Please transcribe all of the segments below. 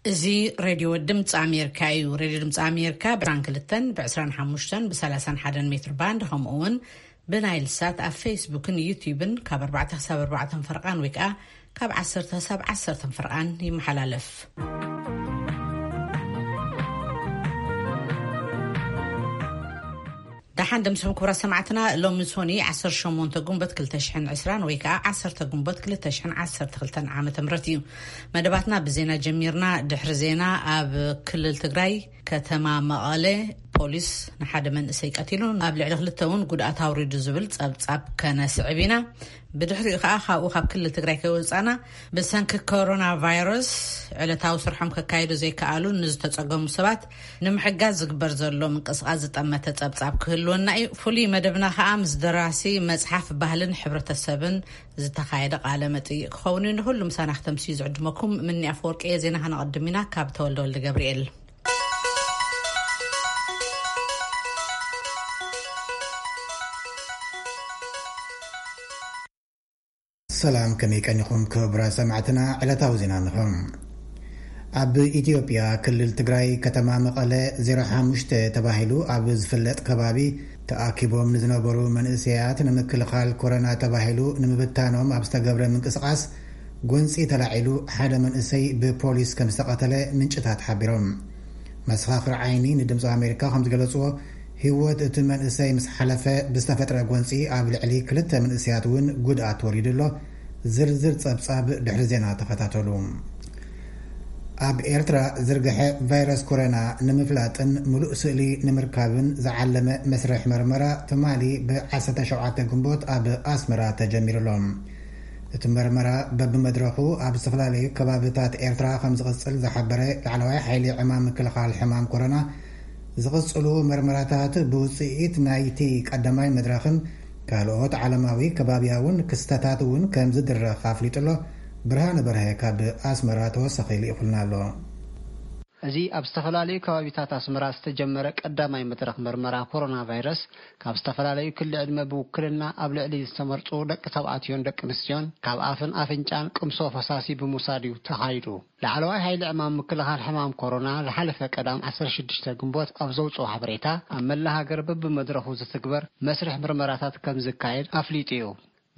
እዚ ሬድዮ ድምፂ ኣሜሪካ እዩ። ሬድዮ ድምፂ ኣሜሪካ ብ22፣ ብ25፣ ብ31 ሜትር ባንድ፣ ከምኡ እውን ብናይል ሳት ኣብ ፌስቡክን ዩቲዩብን ካብ ኣርባዕተ ክሳብ ኣርባዕተ ፈርቓን ወይ ከዓ ካብ ዓሰርተ ክሳብ ዓሰርተ ፈርቓን ይመሓላለፍ። ደሓን ደምስኹም ክቡራት ሰማዕትና። ሎሚ ሶኒ ዓሰርተ ሸሞንተ ግንቦት ክልተ ሽሕን ዕስራን ወይ ከዓ ዓሰርተ ግንቦት ክልተ ሽሕን ዓሰርተ ክልተን ዓመተ ምህረት እዩ። መደባትና ብዜና ጀሚርና። ድሕሪ ዜና፣ ኣብ ክልል ትግራይ ከተማ መቐለ ፖሊስ ንሓደ መንእሰይ ቀቲሉ፣ ኣብ ልዕሊ ክልተ እውን ጉድኣት ኣውሪዱ ዝብል ጸብጻብ ከነስዕብ ኢና። ብድሕሪኡ ከዓ ካብኡ፣ ካብ ክልል ትግራይ ከይወፃና፣ ብሰንኪ ኮሮና ቫይረስ ዕለታዊ ስርሖም ከካይዱ ዘይከኣሉ ንዝተፀገሙ ሰባት ንምሕጋዝ ዝግበር ዘሎ ምንቅስቃስ ዝጠመተ ጸብጻብ ክህልወና እዩ። ፍሉይ መደብና ከዓ ምስ ደራሲ መጽሓፍ ባህልን ሕብረተሰብን ዝተኻየደ ቃለ መጠይቅ ክኸውን እዩ። ንኩሉ ምሳና ክተምስዩ ዝዕድመኩም ምኒ ኣፈወርቂ እየ። ዜና ከነቐድም ኢና ካብ ተወልደ ወልደ ገብርኤል። ሰላም፣ ከመይ ቀኒኹም ክቡራት ሰማዕትና? ዕለታዊ ዜና እንሆ። ኣብ ኢትዮጵያ ክልል ትግራይ ከተማ መቐለ ዜሮ ሓሙሽተ ተባሂሉ ኣብ ዝፍለጥ ከባቢ ተኣኪቦም ንዝነበሩ መንእሰያት ንምክልኻል ኮሮና ተባሂሉ ንምብታኖም ኣብ ዝተገብረ ምንቅስቓስ ጎንፂ ተላዒሉ ሓደ መንእሰይ ብፖሊስ ከም ዝተቐተለ ምንጭታት ሓቢሮም። መሰኻኽር ዓይኒ ንድምፂ ኣሜሪካ ከም ዝገለፅዎ፣ ህይወት እቲ መንእሰይ ምስ ሓለፈ ብዝተፈጥረ ጎንፂ ኣብ ልዕሊ ክልተ መንእሰያት እውን ጉድኣት ወሪዱ ኣሎ። ዝርዝር ጸብጻብ ድሕሪ ዜና ተኸታተሉ። ኣብ ኤርትራ ዝርግሐ ቫይረስ ኮሮና ንምፍላጥን ምሉእ ስእሊ ንምርካብን ዝዓለመ መስርሕ መርመራ ትማሊ ብ17 ግንቦት ኣብ ኣስመራ ተጀሚሩ ኣሎ። እቲ መርመራ በብመድረኹ ኣብ ዝተፈላለዩ ከባብታት ኤርትራ ከም ዝቕጽል ዝሓበረ ላዕለዋይ ሓይሊ ዕማም ምክልኻል ሕማም ኮሮና፣ ዝቕጽሉ መርመራታት ብውጽኢት ናይቲ ቀዳማይ መድረኽን ካልኦት ዓለማዊ ከባብያውን ክስተታት እውን ከም ዝድረኽ ኣፍሊጡ ኣሎ። ብርሃነ በርሀ ካብ ኣስመራ ተወሳኺ ልኢኹልና ኣሎ። እዚ ኣብ ዝተፈላለዩ ከባቢታት ኣስመራ ዝተጀመረ ቀዳማይ መድረኽ መርመራ ኮሮና ቫይረስ፣ ካብ ዝተፈላለዩ ክሊ ዕድመ ብውክልና ኣብ ልዕሊ ዝተመርጹ ደቂ ተባዕትዮን ደቂ ኣንስትዮን ካብ ኣፍን ኣፍንጫን ቅምሶ ፈሳሲ ብምውሳድ እዩ ተኻይዱ። ላዕለዋይ ሓይሊ ዕማም ምክልኻል ሕማም ኮሮና ዝሓለፈ ቀዳም ዓሰርተ ሽዱሽተ ግንቦት ኣብ ዘውፅኦ ሓበሬታ፣ ኣብ መላ ሃገር በብመድረኹ ዝትግበር መስርሕ ምርመራታት ከም ዝካየድ ኣፍሊጡ እዩ።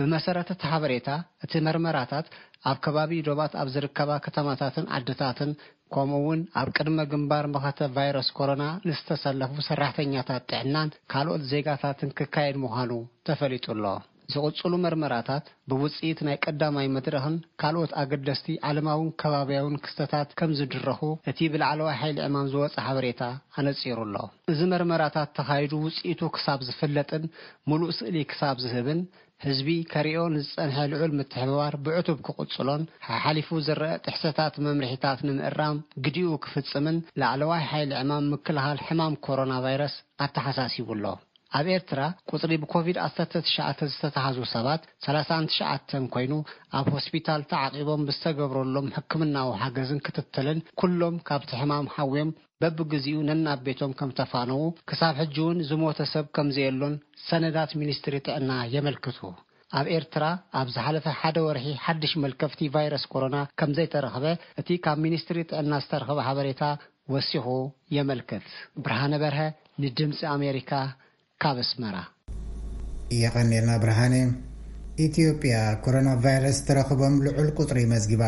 ብመሰረት እቲ ሓበሬታ፣ እቲ መርመራታት ኣብ ከባቢ ዶባት ኣብ ዝርከባ ከተማታትን ዓድታትን፣ ከምኡ እውን ኣብ ቅድመ ግንባር መኸተ ቫይረስ ኮሮና ንዝተሰለፉ ሰራሕተኛታት ጥዕናን ካልኦት ዜጋታትን ክካየድ ምዃኑ ተፈሊጡ ኣሎ። ዝቕጽሉ መርመራታት ብውጽኢት ናይ ቀዳማይ መድረኽን ካልኦት ኣገደስቲ ዓለማውን ከባብያውን ክስተታት ከም ዝድረኹ እቲ ብላዕለዋይ ሓይሊ ዕማም ዝወጸ ሓበሬታ ኣነጺሩ ኣሎ። እዚ መርመራታት ተኻይዱ ውጽኢቱ ክሳብ ዝፍለጥን ምሉእ ስእሊ ክሳብ ዝህብን፣ ህዝቢ ከሪኦ ንዝጸንሐ ልዑል ምትሕብባር ብዕቱብ ክቕጽሎን፣ ሓሓሊፉ ዝረአ ጥሕሰታት መምርሒታት ንምእራም ግዲኡ ክፍጽምን ላዕለዋይ ሓይሊ ዕማም ምክልኻል ሕማም ኮሮና ቫይረስ ኣተሓሳሲቡ ኣሎ። ኣብ ኤርትራ ቁጽሪ ብኮቪድ ዓሰርተ ትሽዓተ ዝተታሕዙ ሰባት ሰላሳን ትሽዓተን ኮይኑ፣ ኣብ ሆስፒታል ተዓቂቦም ብዝተገብረሎም ሕክምናዊ ሓገዝን ክትትልን ኩሎም ካብቲ ሕማም ሓውዮም በብግዚኡ ነናብ ቤቶም ከም ተፋነዉ፣ ክሳብ ሕጂ እውን ዝሞተ ሰብ ከም ዘየሎን ሰነዳት ሚኒስትሪ ጥዕና የመልክቱ። ኣብ ኤርትራ ኣብ ዝሓለፈ ሓደ ወርሒ ሓድሽ መልከፍቲ ቫይረስ ኮሮና ከም ዘይተረኽበ እቲ ካብ ሚኒስትሪ ጥዕና ዝተረኽበ ሓበሬታ ወሲኹ የመልክት። ብርሃነ በርሀ ንድምጺ ኣሜሪካ ካብ ኣስመራ። የቐኔልና ብርሃነ። ኢትዮጵያ ኮሮና ቫይረስ ተረኽቦም ልዑል ቁጽሪ መዝጊባ።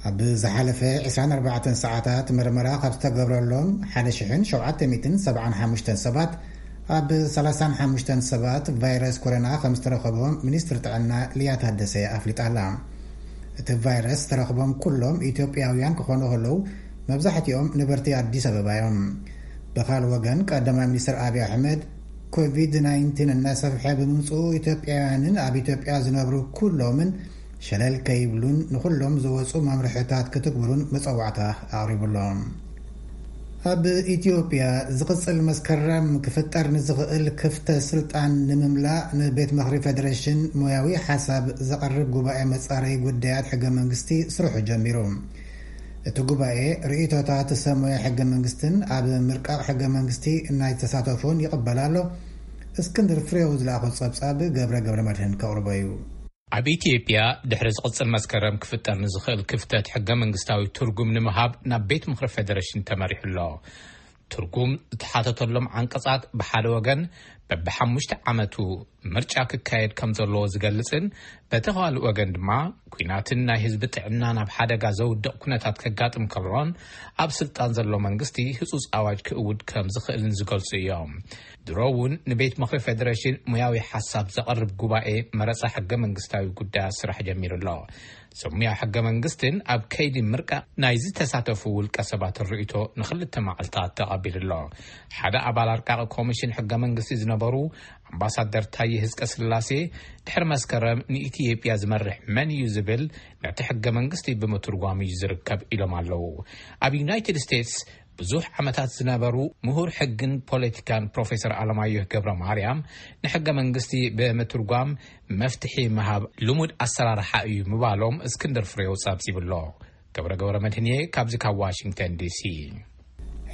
ኣብ ዝሓለፈ ዕስራን ኣርባዕተን ሰዓታት መርመራ ካብ ዝተገብረሎም ሓደ ሽሕን ሸውዓተ ሚእትን ሰብዓን ሓሙሽተን ሰባት፣ ኣብ ሰላሳን ሓሙሽተን ሰባት ቫይረስ ኮሮና ከም ዝተረኸቦም ሚኒስትሪ ጥዕና ሊያ ታደሰ ኣፍሊጣ ኣላ። እቲ ቫይረስ ዝተረኽቦም ኩሎም ኢትዮጵያውያን ክኾኑ ከለዉ፣ መብዛሕትኦም ነበርቲ ኣዲስ ኣበባ እዮም። ብኻል ወገን፣ ቀዳማይ ሚኒስትር ኣብይ ኣሕመድ፣ ኮቪድ ናይንቲን እናሰፍሐ ብምምፅኡ፣ ኢትዮጵያውያንን ኣብ ኢትዮጵያ ዝነብሩ ኩሎምን ሸለል ከይብሉን ንኹሎም ዝወፁ መምርሕታት ክትግብሩን መፀዋዕታ ኣቕሪቡሎም። ኣብ ኢትዮጵያ ዝቕፅል መስከረም ክፍጠር ንዝኽእል ክፍተት ስልጣን ንምምላእ ንቤት ምኽሪ ፌዴሬሽን ሞያዊ ሓሳብ ዘቕርብ ጉባኤ መፃረዪ ጉዳያት ሕገ መንግስቲ ስርሑ ጀሚሩ። እቲ ጉባኤ ርእይቶታት ሰብ ሞያ ሕገ መንግስትን ኣብ ምርቃቕ ሕገ መንግስቲ ናይ ተሳተፉን ይቕበል ኣሎ። እስክንድር ፍሬው ዝለኣኾ ጸብጻብ ገብረ ገብረ መድህን ከቕርቦ እዩ። ኣብ ኢትዮጵያ ድሕሪ ዝቕጽል መስከረም ክፍጠር ንዝኽእል ክፍተት ሕገ መንግስታዊ ትርጉም ንምሃብ ናብ ቤት ምኽሪ ፌደሬሽን ተመሪሑ ኣሎ። ትርጉም ዝተሓተተሎም ዓንቀጻት ብሓደ ወገን በብሓሙሽተ ዓመቱ ምርጫ ክካየድ ከም ዘለዎ ዝገልጽን፣ በቲ ካልእ ወገን ድማ ኲናትን ናይ ህዝቢ ጥዕና ናብ ሓደጋ ዘውድቕ ኩነታት ከጋጥም ከሎን ኣብ ስልጣን ዘሎ መንግስቲ ህጹጽ ኣዋጅ ክእውድ ከም ዝኽእልን ዝገልጹ እዮም። ድሮ እውን ንቤት ምኽሪ ፌደሬሽን ሙያዊ ሓሳብ ዘቕርብ ጉባኤ መረጻ ሕገ መንግስታዊ ጉዳያት ስራሕ ጀሚሩ ኣሎ። ሰብ ሙያ ሕገ መንግስትን ኣብ ከይዲ ምርቃ ናይ ዝተሳተፉ ውልቀ ሰባት ርእይቶ ንክልተ መዓልታት ተቐቢሉ ኣሎ። ሓደ ኣባል ኣርቃቂ ኮሚሽን ሕገ መንግስቲ ዝነበሩ ኣምባሳደር ታየ ህዝቀ ስላሴ፣ ድሕሪ መስከረም ንኢትዮጵያ ዝመርሕ መን እዩ ዝብል ነቲ ሕገ መንግስቲ ብምትርጓም እዩ ዝርከብ ኢሎም ኣለዉ። ኣብ ዩናይትድ ስቴትስ ብዙሕ ዓመታት ዝነበሩ ምሁር ሕግን ፖለቲካን ፕሮፌሰር ኣለማየሁ ገብረ ማርያም፣ ንሕገ መንግስቲ ብምትርጓም መፍትሒ ምሃብ ልሙድ ኣሰራርሓ እዩ ምባሎም እስክንድር ፍሬው ጸብጺቡ ኣሎ። ገብረ ገብረ መድህንየ ካብዚ ካብ ዋሽንግተን ዲሲ።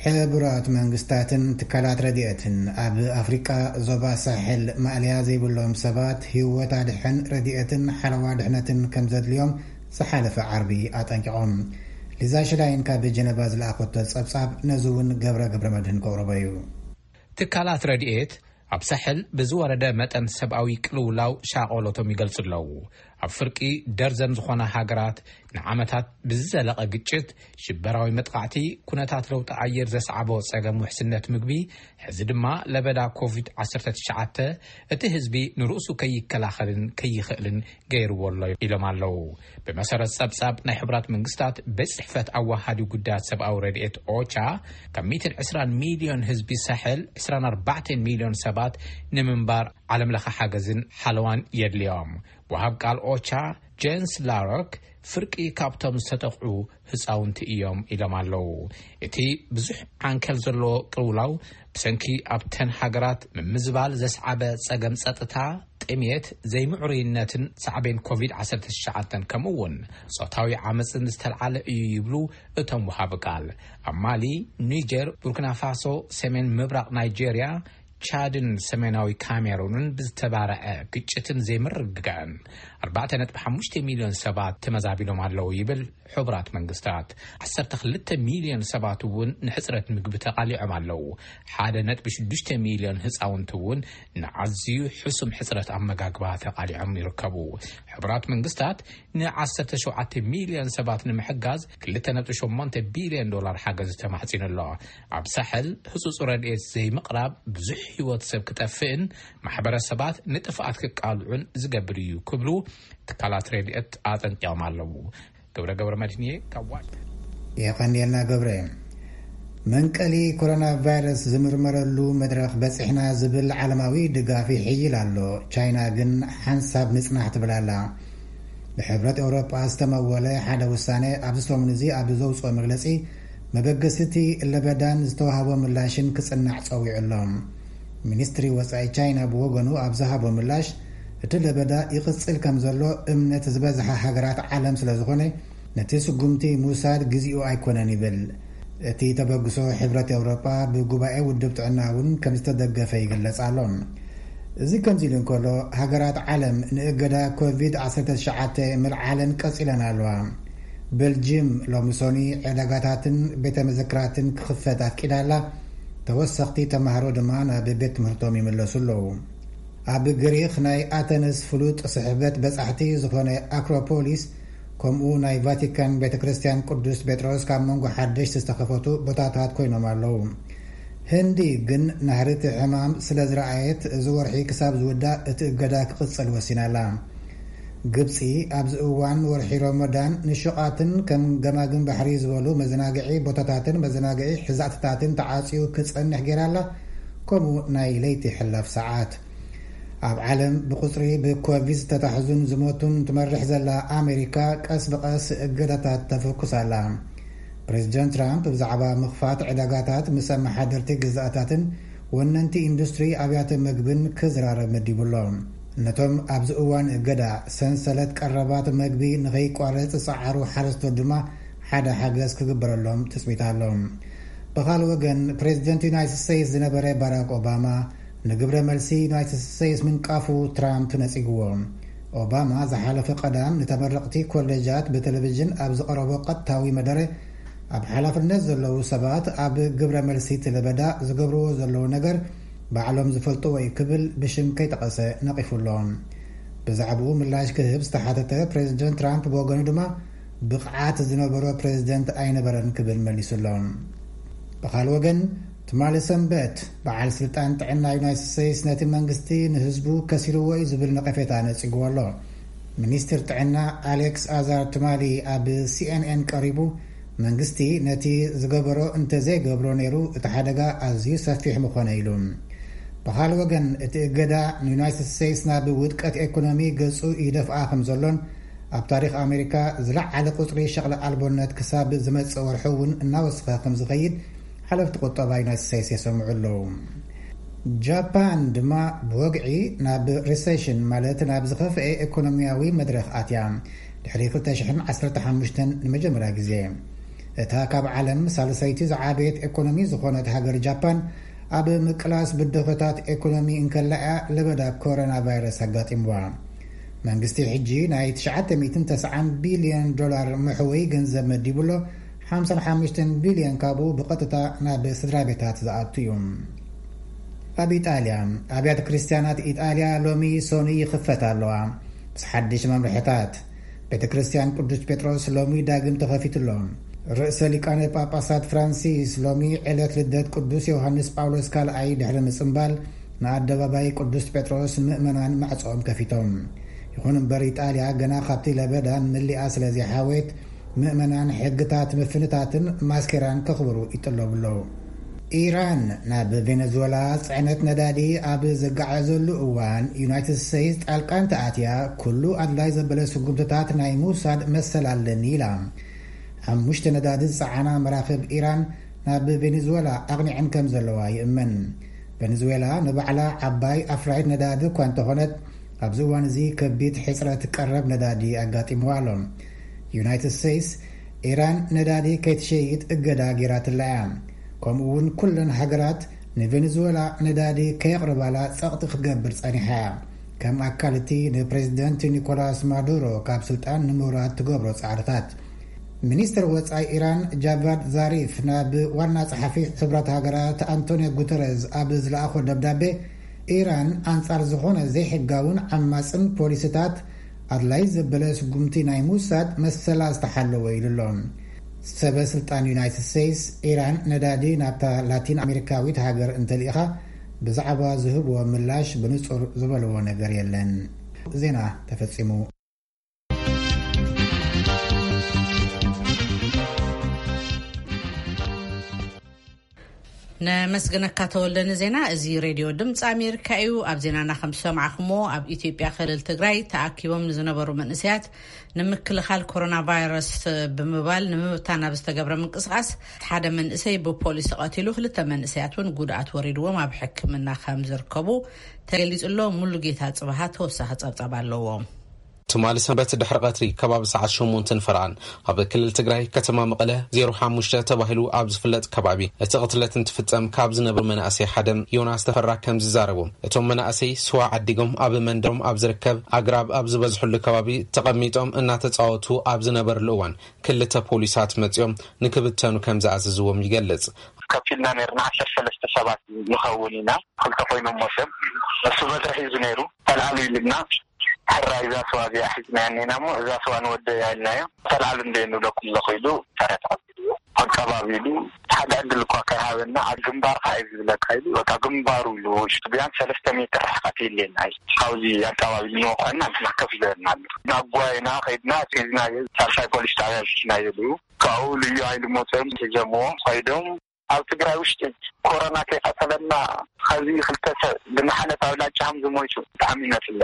ሕቡራት መንግስታትን ትካላት ረድኤትን ኣብ ኣፍሪቃ ዞባ ሳሕል ማእለያ ዘይብሎም ሰባት ህይወት ኣድሕን ረድኤትን ሓለዋ ድሕነትን ከም ዘድልዮም ዝሓለፈ ዓርቢ ኣጠንቂቖም። ሊዛ ሽላይን ካብ ጀነቫ ዝለኣኸቶ ጸብጻብ ነዚ እውን ገብረ ገብረ መድህን ከቕርቦ እዩ። ትካላት ረድኤት ኣብ ሳሕል ብዝወረደ መጠን ሰብኣዊ ቅልውላው ሻቐሎቶም ይገልጹ ኣለዉ። ኣብ ፍርቂ ደርዘን ዝኾና ሃገራት ንዓመታት ብዝዘለቐ ግጭት፣ ሽበራዊ መጥቓዕቲ፣ ኩነታት ለውጢ ኣየር ዘስዓቦ ጸገም ውሕስነት ምግቢ፣ ሕዚ ድማ ለበዳ ኮቪድ ዓሰርተ ትሽዓተ እቲ ህዝቢ ንርእሱ ከይከላኸልን ከይኽእልን ገይርዎ ኣሎ ኢሎም ኣለዉ። ብመሰረት ጸብጻብ ናይ ሕቡራት መንግስታት ቤት ጽሕፈት ኣዋሃዲ ጉዳያት ሰብኣዊ ረድኤት ኦቻ፣ ካብ ሚእትን ዕስራን ሚልዮን ህዝቢ ሳሕል ዕስራን ኣርባዕተን ሚልዮን ሰባት ንምንባር ዓለም ለኸ ሓገዝን ሓለዋን የድልዮም። ወሃብ ቃል ኦቻ ጄንስ ላሮክ ፍርቂ ካብቶም ዝተጠቕዑ ህፃውንቲ እዮም ኢሎም ኣለዉ። እቲ ብዙሕ ዓንከል ዘለዎ ቅልውላው ብሰንኪ ኣብተን ሃገራት ምምዝባል ዘስዓበ ጸገም ጸጥታ፣ ጥሜት፣ ዘይምዕሩይነትን ሳዕቤን ኮቪድ ዓሰርተ ትሽዓተ ከምኡ እውን ጾታዊ ዓመፅን ዝተልዓለ እዩ ይብሉ እቶም ወሃቢ ቃል። ኣብ ማሊ፣ ኒጀር፣ ቡርኪና ፋሶ፣ ሰሜን ምብራቕ ናይጄርያ፣ ቻድን ሰሜናዊ ካሜሩንን ብዝተባረዐ ግጭትን ዘይምርግጋእን ኣርባዕተ ነጥቢ ሓሙሽተ ሚልዮን ሰባት ተመዛቢሎም ኣለዉ ይብል ሕቡራት መንግስታት። ዓሰርተ ክልተ ሚልዮን ሰባት እውን ንሕጽረት ምግቢ ተቓሊዖም ኣለዉ። ሓደ ነጥቢ ሽዱሽተ ሚልዮን ህጻውንቲ እውን ንዓዝዩ ሕሱም ሕጽረት ኣመጋግባ ተቓሊዖም ይርከቡ። ሕቡራት መንግስታት ንዓሰርተ ሸውዓተ ሚልዮን ሰባት ንምሕጋዝ ክልተ ነጥቢ ሸሞንተ ቢልዮን ዶላር ሓገዝ ተማሕጺኑ ኣሎ። ኣብ ሳሕል ህጹጽ ረድኤት ዘይምቕራብ ብዙሕ ህይወት ሰብ ክጠፍእን ማሕበረሰባት ንጥፍኣት ክቃልዑን ዝገብር እዩ ክብሉ ትካላት ረድኤት ኣጠንቂቖም ኣለዉ። ገብረ ገብረ መድህንየ ካብ ዋሽንግተን። የቐንየልና ገብረ። መንቀሊ ኮሮና ቫይረስ ዝምርመረሉ መድረኽ በጺሕና ዝብል ዓለማዊ ድጋፍ ይሕይል ኣሎ። ቻይና ግን ሓንሳብ ንጽናሕ ትብል ኣላ። ብሕብረት ኤውሮጳ ዝተመወለ ሓደ ውሳነ ኣብዚ ሰሙን እዚ ኣብ ዘውጽኦ መግለጺ፣ መበገሲቲ ለበዳን ዝተዋህቦ ምላሽን ክጽናዕ ጸዊዑ ኣሎ። ሚኒስትሪ ወጻኢ ቻይና ብወገኑ ኣብ ዝሃቦ ምላሽ፣ እቲ ለበዳ ይቕጽል ከም ዘሎ እምነት ዝበዝሓ ሃገራት ዓለም ስለ ዝኾነ፣ ነቲ ስጉምቲ ምውሳድ ግዜኡ ኣይኮነን ይብል። እቲ ተበግሶ ሕብረት ኤውሮጳ ብጉባኤ ውድብ ጥዕና እውን ከም ዝተደገፈ ይግለጽ ኣሎ። እዚ ከምዚ ኢሉ እንከሎ፣ ሃገራት ዓለም ንእገዳ ኮቪድ ዓሰርተ ትሽዓተ ምልዓለን ቀጺለን ኣለዋ። ቤልጅም ሎሚ ሶኒ ዕዳጋታትን ቤተ መዘክራትን ክኽፈት ኣፍቂዳ ኣላ። ተወሰኽቲ ተማሃሮ ድማ ናብ ቤት ትምህርቶም ይምለሱ ኣለዉ። ኣብ ግሪኽ ናይ ኣተነስ ፍሉጥ ስሕበት በጻሕቲ ዝኾነ ኣክሮፖሊስ፣ ከምኡ ናይ ቫቲካን ቤተ ክርስቲያን ቅዱስ ጴጥሮስ ካብ መንጎ ሓደሽቲ ዝተኸፈቱ ቦታታት ኮይኖም ኣለዉ። ህንዲ ግን ናህሪ እቲ ሕማም ስለ ዝረኣየት፣ እዚ ወርሒ ክሳብ ዝውዳእ እቲ እገዳ ክቕጽል ወሲና ኣላ። ግብጺ ኣብዚ እዋን ወርሒ ሮመዳን ንሹቓትን ከም ገማግም ባሕሪ ዝበሉ መዘናግዒ ቦታታትን መዘናግዒ ሕዛእትታትን ተዓጽዩ ክጸንሕ ገይራ ኣላ፣ ከምኡ ናይ ለይቲ ሕላፍ ሰዓት። ኣብ ዓለም ብቁጽሪ ብኮቪድ ዝተታሕዙን ዝሞቱን ትመርሕ ዘላ ኣሜሪካ ቀስ ብቐስ እገዳታት ተፍኩስ ኣላ። ፕሬዚደንት ትራምፕ ብዛዕባ ምኽፋት ዕዳጋታት ምስ ኣመሓደርቲ ግዛኣታትን ወነንቲ ኢንዱስትሪ ኣብያተ መግብን ክዝራረብ መዲቡ ኣሎ። ነቶም ኣብዚ እዋን እገዳ ሰንሰለት ቀረባት መግቢ ንኸይቋረጽ ዝጸዓሩ ሓረስቶት ድማ ሓደ ሓገዝ ክግበረሎም ትጽቢት ኣሎ። ብኻልእ ወገን፣ ፕሬዚደንት ዩናይትድ ስቴትስ ዝነበረ ባራክ ኦባማ ንግብረ መልሲ ዩናይትድ ስቴትስ ምንቃፉ ትራምፕ ነጺግዎ። ኦባማ ዝሓለፈ ቀዳም ንተመረቕቲ ኮሌጃት ብቴሌቪዥን ኣብ ዝቐረቦ ቀጥታዊ መደረ፣ ኣብ ሓላፍነት ዘለዉ ሰባት ኣብ ግብረ መልሲ እቲ ለበዳ ዝገብርዎ ዘለዉ ነገር ባዕሎም ዝፈልጥዎ እዩ ክብል ብሽም ከይጠቐሰ ነቒፉ ኣሎ። ብዛዕባኡ ምላሽ ክህብ ዝተሓተተ ፕሬዚደንት ትራምፕ ብወገኑ ድማ፣ ብቕዓት ዝነበሮ ፕሬዚደንት ኣይነበረን ክብል መሊሱ ኣሎ። ብኻልእ ወገን፣ ትማሊ ሰንበት በዓል ስልጣን ጥዕና ዩናይትድ ስቴትስ ነቲ መንግስቲ ንህዝቡ ከሲርዎ እዩ ዝብል ነቐፌታ ነጺግዎ ኣሎ። ሚኒስትር ጥዕና ኣሌክስ ኣዛር ትማሊ ኣብ ሲኤንኤን ቀሪቡ፣ መንግስቲ ነቲ ዝገበሮ እንተዘይገብሮ ነይሩ እቲ ሓደጋ ኣዝዩ ሰፊሕ ምኾነ ኢሉ። ብኻልእ ወገን፣ እቲ እገዳ ንዩናይትድ ስቴትስ ናብ ውድቀት ኤኮኖሚ ገጹ ይደፍኣ ከም ዘሎን ኣብ ታሪኽ ኣሜሪካ ዝለዓለ ቁጽሪ ሸቕለ ኣልቦነት ክሳብ ዝመጽእ ወርሒ እውን እናወሰኸ ከም ዝኸይድ ሓለፍቲ ቁጠባ ዩናይትድ ስቴትስ የሰምዑ ኣለዉ። ጃፓን ድማ ብወግዒ ናብ ሪሴሽን፣ ማለት ናብ ዝኸፍኤ ኤኮኖሚያዊ መድረኽ ኣትያ፣ ድሕሪ ክልተ ሽሕን ዓሰርተ ሓሙሽተን ንመጀመርያ ግዜ። እታ ካብ ዓለም ሳልሰይቲ ዝዓበየት ኤኮኖሚ ዝኾነት ሃገር ጃፓን፣ ኣብ ምቅላስ ብድሆታት ኤኮኖሚ እንከላ እያ ለበዳ ኮሮና ቫይረስ ኣጋጢምዋ። መንግስቲ ሕጂ ናይ ትሽዓተ ሚእትን ተስዓን ቢልዮን ዶላር መሕወይ ገንዘብ መዲቡ ኣሎ። ሓምሳን ሓሙሽተን ቢልዮን ካብኡ ብቐጥታ ናብ ስድራ ቤታት ዝኣቱ እዩ። ኣብ ኢጣልያ፣ ኣብያተ ክርስቲያናት ኢጣልያ ሎሚ ሶኒ ይኽፈታ ኣለዋ። ምስ ሓድሽ መምርሕታት፣ ቤተ ክርስቲያን ቅዱስ ጴጥሮስ ሎሚ ዳግም ተኸፊቱ ኣሎ። ርእሰ ሊቃነ ጳጳሳት ፍራንሲስ ሎሚ ዕለት ልደት ቅዱስ ዮሃንስ ጳውሎስ ካልኣይ ድሕሪ ምጽምባል፣ ንኣደባባይ ቅዱስ ጴጥሮስ ምእመናን ማዕጾኦም ከፊቶም። ይኹን እምበር፣ ኢጣልያ ገና ካብቲ ለበዳ ምሊኣ ስለ ዘይሓወየት፣ ምእመናን ሕግታት ምፍንታትን ማስኬራን ከኽብሩ ይጥለቡ ኣለዉ። ኢራን ናብ ቬነዙዌላ ጽዕነት ነዳዲ ኣብ ዘጋዓዘሉ እዋን፣ ዩናይትድ ስቴትስ ጣልቃ እንተኣትያ፣ ኩሉ ኣድላይ ዘበለ ስጉምትታት ናይ ምውሳድ መሰል ኣለኒ ኢላ። ሓሙሽተ ነዳዲ ዝጸዓና መራኽብ ኢራን ናብ ቬነዙዌላ ኣቕኒዐን ከም ዘለዋ ይእመን። ቬነዙዌላ ንባዕላ ዓባይ ኣፍራይት ነዳዲ እኳ እንተኾነት፣ ኣብዚ እዋን እዚ ከቢድ ሕጽረት ቀረብ ነዳዲ ኣጋጢምዋ ኣሎ። ዩናይትድ ስቴትስ፣ ኢራን ነዳዲ ከይትሸይጥ እገዳ ገይራትላ እያ። ከምኡ እውን ኩለን ሃገራት ንቬነዙዌላ ነዳዲ ከየቕርባላ ጸቕጢ ክትገብር ጸኒሓ እያ። ከም ኣካል እቲ ንፕሬዚደንት ኒኮላስ ማዱሮ ካብ ስልጣን ንምውራድ ትገብሮ ጻዕርታት። ሚኒስትር ወጻኢ ኢራን ጃቫድ ዛሪፍ ናብ ዋና ጸሓፊ ሕብረት ሃገራት ኣንቶኒዮ ጉተረዝ ኣብ ዝለኣኾ ደብዳቤ፣ ኢራን ኣንጻር ዝኾነ ዘይሕጋውን ዓማጽን ፖሊሲታት ኣድላይ ዘበለ ስጉምቲ ናይ ምውሳድ መሰላ ዝተሓለወ ኢሉ ኣሎ። ሰበ ስልጣን ዩናይትድ ስቴትስ፣ ኢራን ነዳዲ ናብታ ላቲን ኣሜሪካዊት ሃገር እንተልኢኻ፣ ብዛዕባ ዝህብዎ ምላሽ ብንጹር ዝበልዎ ነገር የለን። ዜና ተፈጺሙ። ነመስግነካ ተወልደ ንዜና። እዚ ሬድዮ ድምፂ ኣሜሪካ እዩ። ኣብ ዜናና ከም ዝሰማዕኹሞ፣ ኣብ ኢትዮጵያ ክልል ትግራይ ተኣኪቦም ንዝነበሩ መንእሰያት ንምክልኻል ኮሮና ቫይረስ ብምባል ንምብታን ኣብ ዝተገብረ ምንቅስቃስ ሓደ መንእሰይ ብፖሊስ ተቐቲሉ፣ ክልተ መንእሰያት እውን ጉድኣት ወሪድዎም ኣብ ሕክምና ከም ዝርከቡ ተገሊጹ ኣሎ። ሙሉጌታ ጽባሃ ተወሳኺ ጸብጻብ ኣለዎ። ትማሊ ሰንበት ድሕሪ ቀትሪ ከባቢ ሰዓት ሸሞንተ ንፈረቓን ኣብ ክልል ትግራይ ከተማ መቐለ ዜሮ ሓሙሽተ ተባሂሉ ኣብ ዝፍለጥ ከባቢ እቲ ቅትለት እንትፍጸም ካብ ዝነበሩ መናእሰይ ሓደ ዮናስ ተፈራ ከም ዝዛረቡ፣ እቶም መናእሰይ ስዋ ዓዲጎም ኣብ መንደሮም ኣብ ዝርከብ ኣግራብ ኣብ ዝበዝሕሉ ከባቢ ተቐሚጦም እናተጻወቱ ኣብ ዝነበርሉ እዋን ክልተ ፖሊሳት መጺኦም ንክብተኑ ከም ዝኣዘዝዎም ይገልጽ። ከፊልና ነርና ዓሰርተ ሰለስተ ሰባት ንኸውን ኢና። ክልተ ኮይኖም ሞሰብ እሱ በትሪ ሒዙ ነይሩ። ተልዓሉ ኢልና ሕራይ እዛ ስዋ እዚኣ ሒዝናያ እኒና እሞ እዛ ስዋ ንወደያ ኢልናዮ። ተልዓሉ እንደ ንብለኩም ኣለኹ ኢሉ ታራ ተቐቢልዎ። ኣቀባቢሉ ሓደ ዕድል እኳ ከይሃበና ኣብ ግንባርካ እዩ ዝብለካ ኢሉ በቃ ግንባሩ ኢሉ ውሽጡ ቢያንስ ሰለስተ ሜትር ርሕቀት የለና እዩ። ካብዚ ኣቀባቢሉ ንወቕዐና ንሕና ከፍ ዝበልና ኣሎ። ናብ ጓይና ከይድና ሒዝናዮ ሳልሳይ ፖሊስ ጣብያ ኣልኪናዮ ኢሉ ካብኡ ልዩ ሃይሊ መፅኦም ሒዞምዎ ከይዶም ኣብ ትግራይ ውሽጢ ኮሮና ከይቀተለና ኸዚ ክልተ ሰብ ብመሓለፍ ኣብ ላጫ ከም ዝሞይቱ ብጣዕሚ ነፍለ።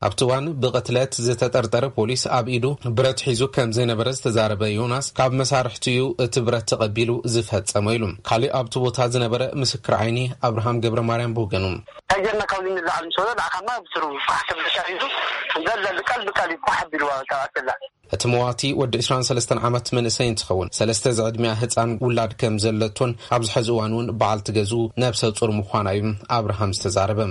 ኣብቲ እዋን ብቕትለት ዝተጠርጠረ ፖሊስ ኣብ ኢዱ ብረት ሒዙ ከም ዘይነበረ ዝተዛረበ ዮናስ፣ ካብ መሳርሕቱ እዩ እቲ ብረት ተቐቢሉ ዝፈጸመ ኢሉ። ካሊእ ኣብቲ ቦታ ዝነበረ ምስክር ዓይኒ ኣብርሃም ገብረ ማርያም ብወገኑ፣ ከጀርና ካብዚ ንላዓል ምስ በሎ ንዓኻማ ብስሩ ፋሕ ተብለካ ሒዙ ዘለ ብቃል ብቃል እዩ ፋሕ ኣቢልዋ ካብ ኣተላ። እቲ መዋቲ ወዲ ዕስራን ሰለስተን ዓመት መንእሰይ እንትኸውን፣ ሰለስተ ዝዕድሚያ ህፃን ውላድ ከም ዘለቶን ኣብዚ ሕዚ እዋን እውን በዓልቲ ገዝኡ ነብሰ ፁር ምዃና እዩ ኣብርሃም ዝተዛረበ።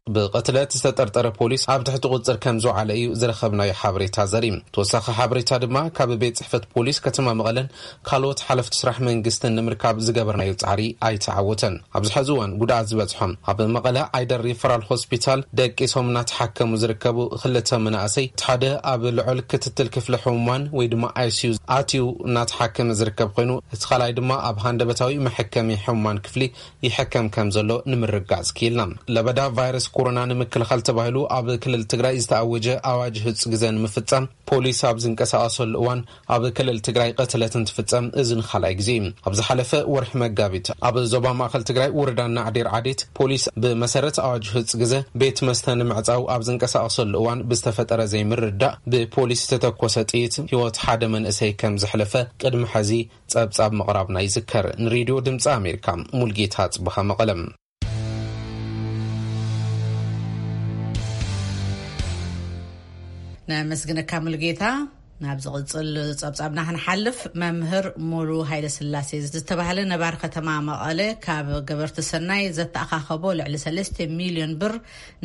ብቕትለት ዝተጠርጠረ ፖሊስ ኣብ ትሕቲ ቁጽር ከም ዝወዓለ እዩ ዝረኸብናዮ ሓበሬታ ዘርኢ። ተወሳኺ ሓበሬታ ድማ ካብ ቤት ጽሕፈት ፖሊስ ከተማ መቐለን ካልኦት ሓለፍቲ ስራሕ መንግስትን ንምርካብ ዝገበርናዮ ጻዕሪ ኣይተዓወተን። ኣብዚ ሕዚ እዋን ጉድኣት ዝበጽሖም ኣብ መቐለ ዓይደር ሪፈራል ሆስፒታል ደቂሶም እናተሓከሙ ዝርከቡ ክልተ መናእሰይ፣ እቲ ሓደ ኣብ ልዑል ክትትል ክፍሊ ሕሙማን ወይ ድማ I C U ኣትዩ እናተሓከመ ዝርከብ ኮይኑ፣ እቲ ካልኣይ ድማ ኣብ ሃንደበታዊ መሐከሚ ሕሙማን ክፍሊ ይሕከም ከም ዘሎ ንምርጋጽ ክኢልና። ለበዳ ቫይረስ ኮሮና ንምክልኻል ተባሂሉ ኣብ ክልል ትግራይ ዝተኣወጀ ኣዋጅ ህጹ ግዘ ንምፍጻም ፖሊስ ኣብ ዝንቀሳቐሰሉ እዋን ኣብ ክልል ትግራይ ቅትለት እንትፍጸም እዚ ንኻልኣይ ግዜ እዩ። ኣብ ዝሓለፈ ወርሒ መጋቢት ኣብ ዞባ ማእኸል ትግራይ ወረዳ ናዕዴር ዓዴት ፖሊስ ብመሰረት ኣዋጅ ህጹ ግዘ ቤት መስተ ንምዕጻው ኣብ ዝንቀሳቐሰሉ እዋን ብዝተፈጠረ ዘይምርዳእ ብፖሊስ ዝተተኮሰ ጥይት ህይወት ሓደ መንእሰይ ከም ዘሕለፈ ቅድሚ ሕዚ ጸብጻብ ምቕራብና ይዝከር። ንሬድዮ ድምፂ ኣሜሪካ ሙልጌታ ጽበኻ መቐለም። ነመስግነካ ሙልጌታ። ናብ ዝቕጽል ጸብጻብና ክንሓልፍ፣ መምህር ሙሉ ሃይለ ስላሴ ዝተባህለ ነባር ከተማ መቐለ ካብ ገበርቲ ሰናይ ዘተኣኻኸቦ ልዕሊ ሰለስተ ሚልዮን ብር